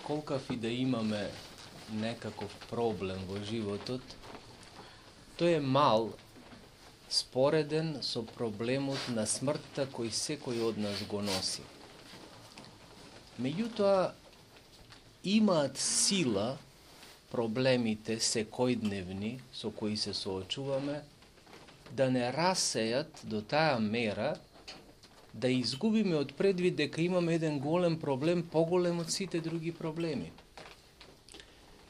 колкав и да имаме некаков проблем во животот, тој е мал спореден со проблемот на смртта кој секој од нас го носи. Меѓутоа, имаат сила проблемите секојдневни со кои се соочуваме да не расејат до таа мера да изгубиме од предвид дека имаме еден голем проблем, поголем од сите други проблеми.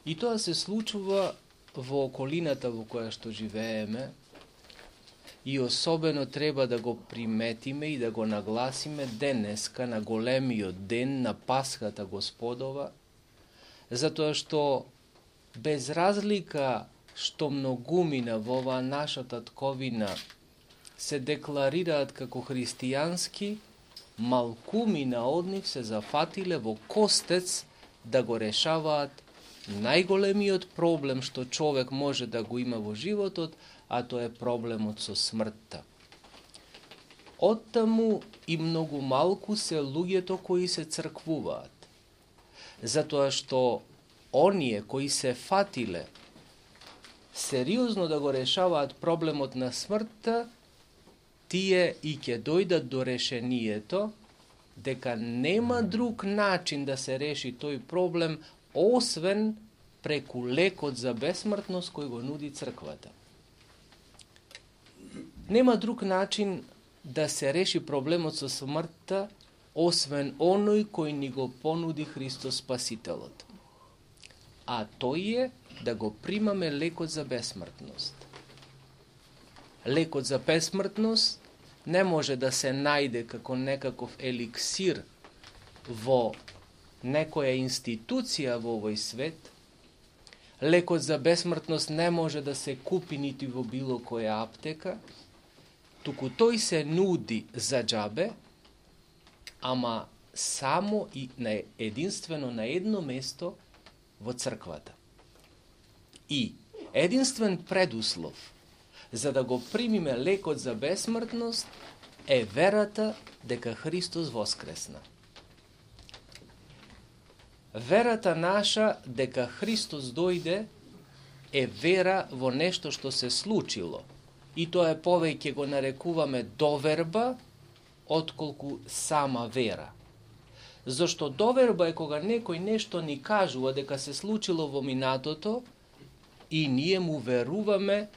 И тоа се случува во околината во која што живееме и особено треба да го приметиме и да го нагласиме денеска на големиот ден на Пасхата Господова, затоа што без разлика што многумина во оваа наша татковина се декларираат како христијански, малкумина од нив се зафатиле во костец да го решаваат најголемиот проблем што човек може да го има во животот, а тоа е проблемот со смртта. Оттаму и многу малку се луѓето кои се црквуваат, затоа што оние кои се фатиле сериозно да го решаваат проблемот на смртта, тие и ќе дојдат до решението дека нема друг начин да се реши тој проблем освен преку лекот за бесмртност кој го нуди црквата. Нема друг начин да се реши проблемот со смртта освен оној кој ни го понуди Христос Спасителот. А тој е да го примаме лекот за бесмртност. Лекот за бесмртност не може да се најде како некаков еликсир во некоја институција во овој свет. Лекот за бесмртност не може да се купи нити во било која аптека, туку тој се нуди за џабе, ама само и единствено на едно место во црквата. И единствен предуслов за да го примиме лекот за бесмртност е верата дека Христос воскресна. Верата наша дека Христос дојде е вера во нешто што се случило. И тоа е повеќе го нарекуваме доверба, отколку сама вера. Зошто доверба е кога некој нешто ни кажува дека се случило во минатото и ние му веруваме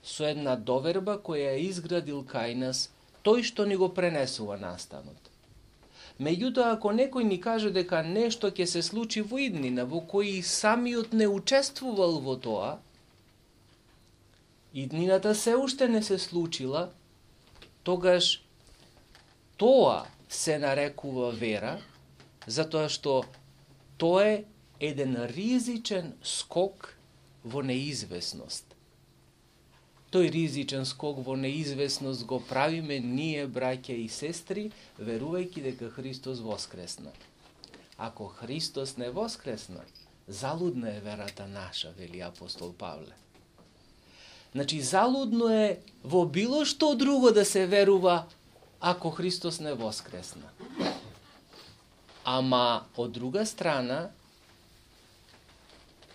со една доверба која е изградил кај нас тој што ни го пренесува настанот. Меѓутоа, ако некој ни каже дека нешто ќе се случи во иднина, во кој самиот не учествувал во тоа, иднината се уште не се случила, тогаш тоа се нарекува вера, затоа што тоа е еден ризичен скок во неизвестност. Тој ризичен скок во неизвестност го правиме ние, браќа и сестри, верувајќи дека Христос воскресна. Ако Христос не воскресна, залудна е верата наша, вели апостол Павле. Значи, залудно е во било што друго да се верува ако Христос не воскресна. Ама, од друга страна,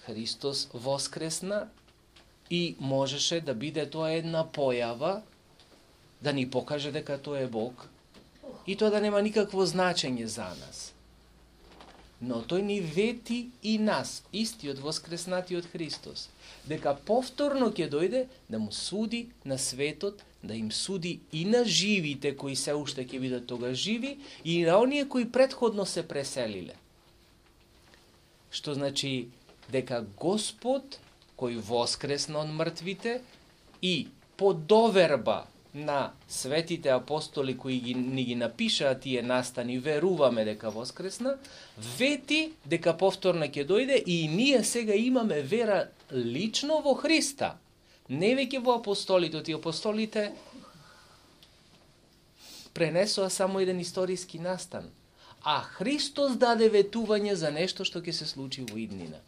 Христос воскресна и можеше да биде тоа една појава да ни покаже дека тој е Бог и тоа да нема никакво значење за нас. Но тој ни вети и нас, истиот воскреснатиот Христос, дека повторно ќе дојде да му суди на светот, да им суди и на живите кои се уште ќе бидат тога живи и на оние кои претходно се преселиле. Што значи дека Господ кој воскресна од мртвите и по доверба на светите апостоли кои ни ги напишаа тие настани, веруваме дека воскресна, вети дека повторно ќе дојде и ние сега имаме вера лично во Христа, не веќе во апостолите. Тие апостолите пренесоа само еден историски настан, а Христос даде ветување за нешто што ќе се случи во иднина.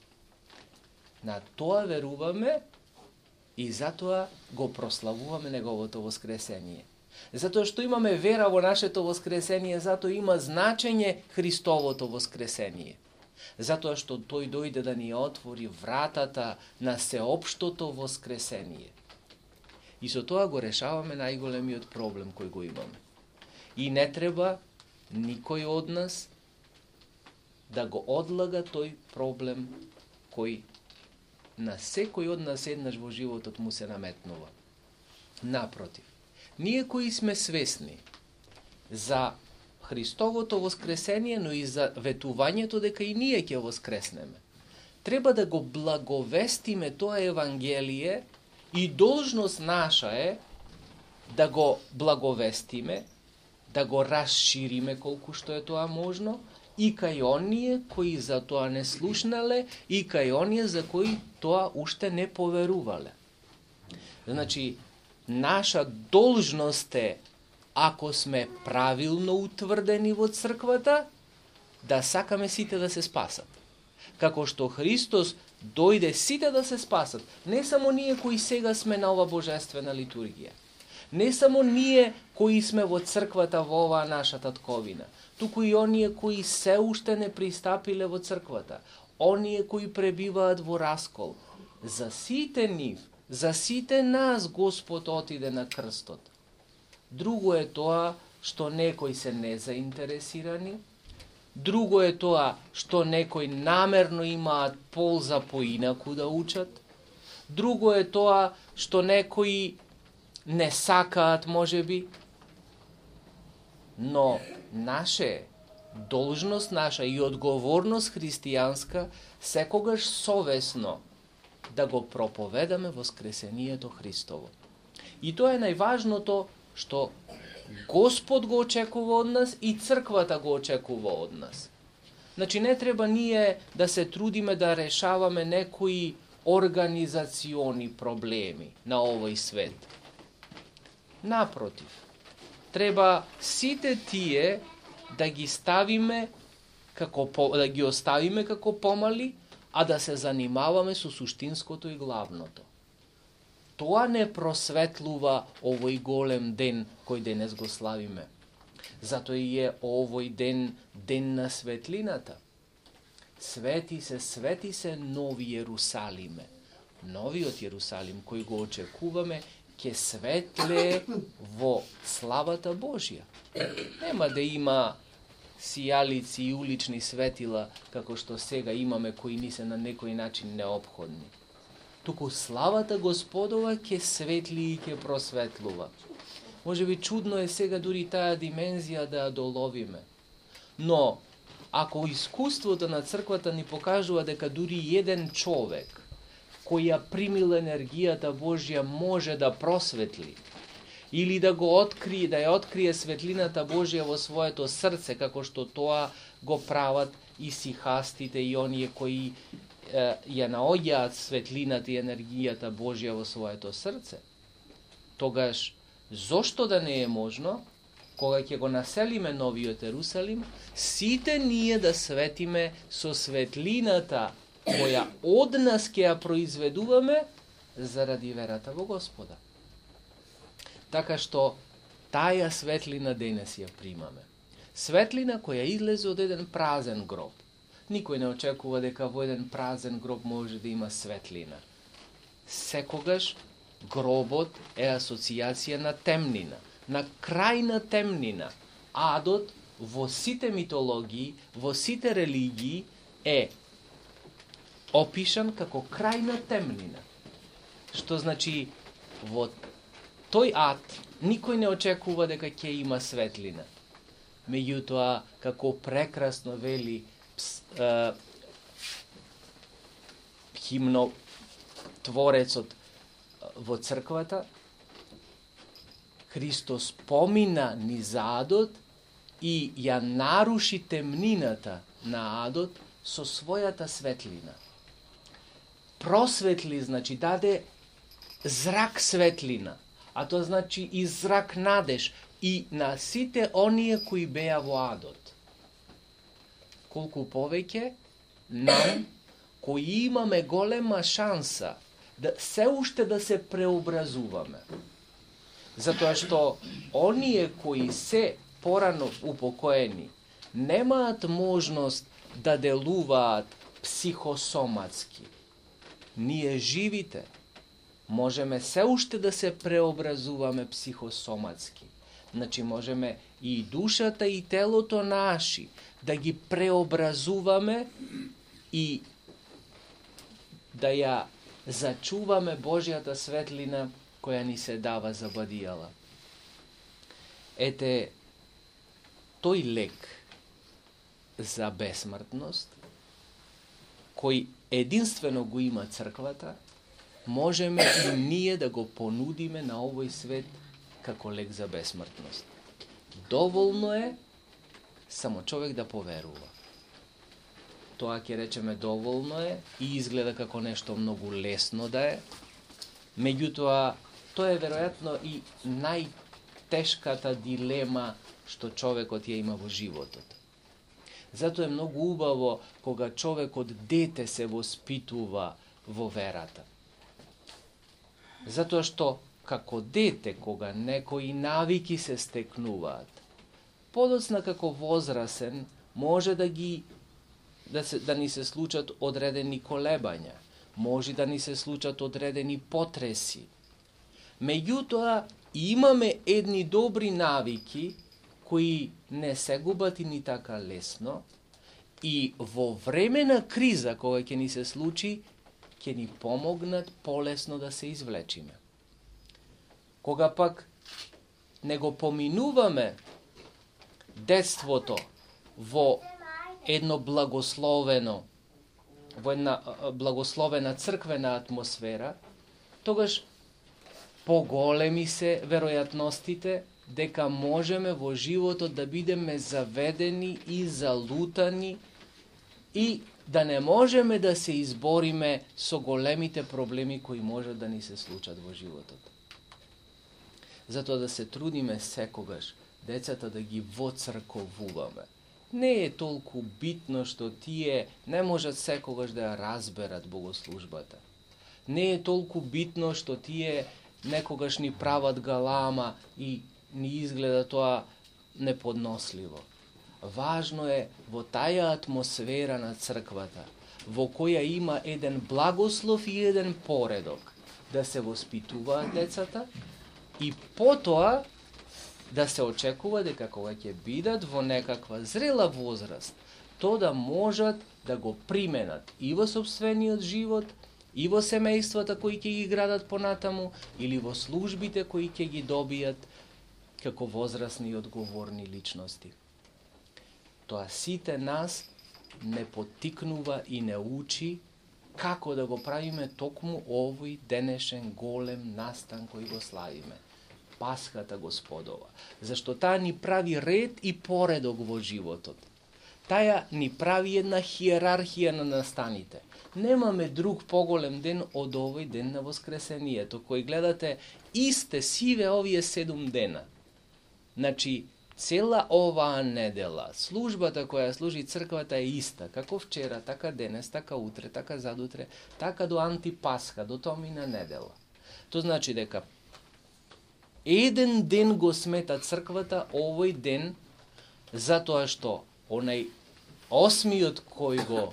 На тоа веруваме и затоа го прославуваме неговото воскресение. Затоа што имаме вера во нашето воскресение, затоа има значење Христовото воскресение. Затоа што тој дојде да ни отвори вратата на сеопштото воскресение. И со тоа го решаваме најголемиот проблем кој го имаме. И не треба никој од нас да го одлага тој проблем кој на секој од нас еднаш во животот му се наметнува. Напротив, ние кои сме свесни за Христовото воскресение, но и за ветувањето дека и ние ќе воскреснеме, треба да го благовестиме тоа Евангелие и должност наша е да го благовестиме, да го расшириме колку што е тоа можно, и кај оние кои за тоа не слушнале, и кај оние за кои тоа уште не поверувале. Значи, наша должност е, ако сме правилно утврдени во црквата, да сакаме сите да се спасат. Како што Христос дојде сите да се спасат, не само ние кои сега сме на ова божествена литургија, не само ние кои сме во црквата во оваа наша татковина, туку и оние кои се уште не пристапиле во црквата, оние кои пребиваат во раскол. За сите нив, за сите нас Господ отиде на крстот. Друго е тоа што некои се незаинтересирани, друго е тоа што некои намерно имаат полза поинаку да учат, друго е тоа што некои не сакаат можеби, но наше должност наша и одговорност христијанска секогаш совесно да го проповедаме воскресението Христово. И тоа е најважното што Господ го очекува од нас и црквата го очекува од нас. Значи не треба ние да се трудиме да решаваме некои организациони проблеми на овој свет. Напротив, треба сите тие да ги ставиме да ги оставиме како помали, а да се занимаваме со суштинското и главното. Тоа не просветлува овој голем ден кој денес го славиме. Затоа и е овој ден на светлината. Свети се нови Јерусалиме. Новиот Јерусалим кој го очекуваме ќе светле во славата Божја. Нема да има сијалици и улични светила како што сега имаме кои ни се на некој начин неопходни. Туку славата Господова ќе светли и ќе просветлува. Може би чудно е сега дури таа димензија да ја доловиме. Но, ако искуството на црквата ни покажува дека дури еден човек кој ја примил енергијата Божја може да просветли или да го открие, да ја открие светлината Божја во своето срце, како што тоа го прават и сихастите и оние кои ја наоѓаат светлината и енергијата Божја во своето срце, тогаш зошто да не е можно, кога ќе го населиме новиот Ерусалим, сите ние да светиме со светлината која од нас ќе ја произведуваме заради верата во Господа. Така што таја светлина денес ја примаме. Светлина која излезе од еден празен гроб. Никој не очекува дека во еден празен гроб може да има светлина. Секогаш гробот е асоциација на темнина, на крајна темнина. Адот во сите митологии, во сите религии е опишан како крајна темнина. Што значи во тој ад никој не очекува дека ќе има светлина. Меѓутоа, како прекрасно вели химнотворецот во црквата, Христос помина низ адот и ја наруши темнината на адот со својата светлина. Просветли, значи, даде зрак светлина, а тоа значи и зрак надеж и на сите оние кои беа во адот. Колку повеќе нам, кои имаме голема шанса да се уште да се преобразуваме. Затоа што оние кои се порано упокоени немаат можност да делуваат психосоматски. Ние живите можеме се уште да се преобразуваме психосоматски. Значи можеме и душата и телото наши да ги преобразуваме и да ја зачуваме Божјата светлина која ни се дава за бадијала. Ете, тој лек за бесмртност, кој единствено го има црквата, можеме и ние да го понудиме на овој свет како лек за бесмртност. Доволно е само човек да поверува. Тоа ќе речеме доволно е и изгледа како нешто многу лесно да е. Меѓутоа, тоа е веројатно и најтешката дилема што човекот ја има во животот. Затоа е многу убаво кога човекот дете се воспитува во верата. Затоа што како дете, кога некои навики се стекнуваат, подоцна како возрасен може да ни се случат одредени колебања, може да ни се случат одредени потреси. Меѓутоа, имаме едни добри навики кои не се губат и ни така лесно и во време на криза кога ќе ни се случи, ќе ни помогнат полесно да се извлечиме. Кога пак не го поминуваме детството во една благословена црквена атмосфера, тогаш поголеми се веројатностите дека можеме во животот да бидеме заведени и залутани и да не можеме да се избориме со големите проблеми кои можат да ни се случат во животот. Затоа да се трудиме секогаш децата да ги воцрковуваме. Не е толку битно што тие не можат секогаш да ја разберат богослужбата. Не е толку битно што тие некогаш ни прават галама и ни изгледа тоа неподносливо. Важно е во таја атмосфера на црквата, во која има еден благослов и еден поредок, да се воспитуваат децата и потоа да се очекува дека кога ќе бидат во некаква зрела возраст, то да можат да го применат и во сопствениот живот, и во семејствата кои ќе ги градат понатаму, или во службите кои ќе ги добијат како возрастни и одговорни личности. Тоа сите нас не поттикнува и не учи како да го правиме токму овој денешен голем настан кој го славиме. Пасхата Господова. Зашто таа ни прави ред и поредок во животот. Таја ни прави една хиерархија на настаните. Немаме друг поголем ден од овој ден на Воскресението, кој гледате исте сиве овие 7 дена. Значи, цела оваа недела, службата која служи црквата е иста, како вчера, така денес, така утре, така задутре, така до антипасха, до томина недела. Тоа значи дека еден ден го смета црквата овој ден, затоа што онај осмиот кој го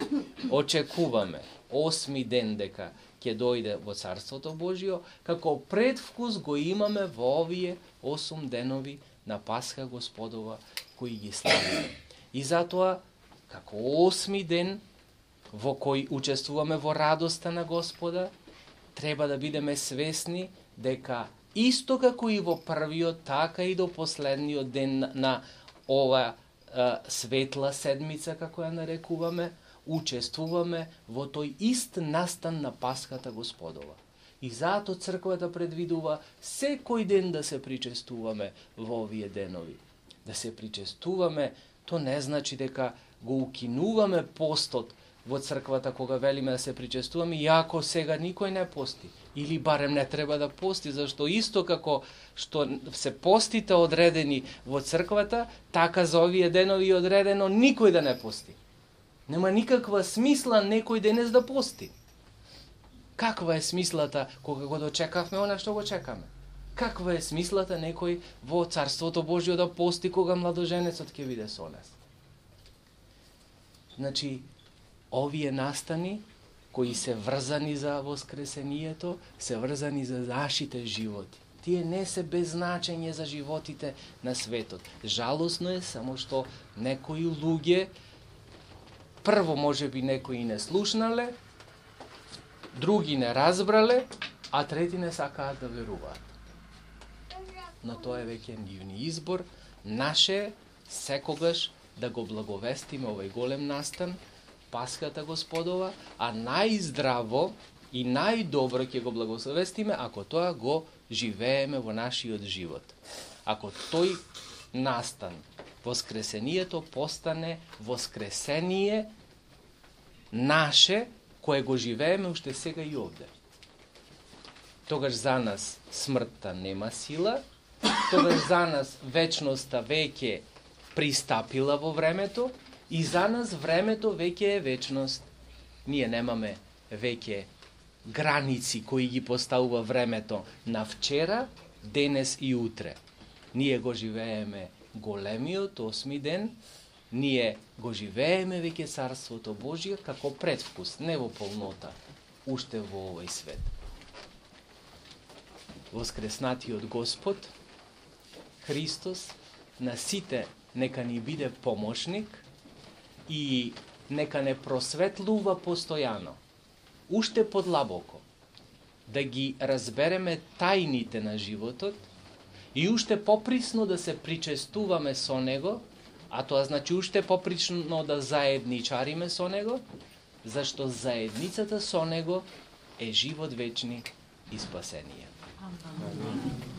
очекуваме, 8 ден дека ќе дојде во Царството Божјо, како предвкус го имаме во овие 8 денови на Пасха Господова кои ги славиме. И затоа, како 8 ден во кој учествуваме во радоста на Господа, треба да бидеме свесни дека исто како и во првиот, така и до последниот ден на ова светла седмица, како ја нарекуваме, учествуваме во тој ист настан на Пасхата Господова. И затоа црквата предвидува секој ден да се причестуваме во овие денови. Да се причестуваме, то не значи дека го укинуваме постот во црквата кога велиме да се причестуваме, иако сега никој не пости. Или барем не треба да пости, зашто исто како што се постите одредени во црквата, така за овие денови одредено никој да не пости. Нема никаква смисла некој денес да пости. Каква е смислата кога го дочекавме она што го чекаме? Каква е смислата некој во Царството Божјо да пости кога младоженецот ќе биде со нас? Значи, овие настани кои се врзани за воскресението, се врзани за нашите животи. Тие не се без значење за животите на светот. Жалосно е само што некои луѓе, прво можеби некои не слушнале, други не разбрале, а трети не сакаат да веруваат. Но тоа е веќе нивни избор. Наше секогаш да го благовестиме овој голем настан, Пасхата Господова, а најздраво и најдобро ќе го благовестиме ако тоа го живееме во нашиот живот. Ако тој настан, воскресението, постане воскресение наше, кое го живееме уште сега и овде. Тогаш за нас смртта нема сила, тогаш за нас вечноста веќе пристапила во времето и за нас времето веќе е вечност. Ние немаме веќе граници кои ги поставува времето на вчера, денес и утре. Ние го живееме големиот осми ден, ние го живееме веќе Царството Божие како предвкус, не во полнота, уште во овој свет. Воскреснатиот Господ, Христос, на сите нека ни биде помошник и нека не просветлува постојано, уште подлабоко, да ги разбереме тајните на животот и уште поприсно да се причестуваме со Него, а тоа значи уште поприсно да заедничариме со Него, зашто заедницата со Него е живот вечни и спасение. Амин.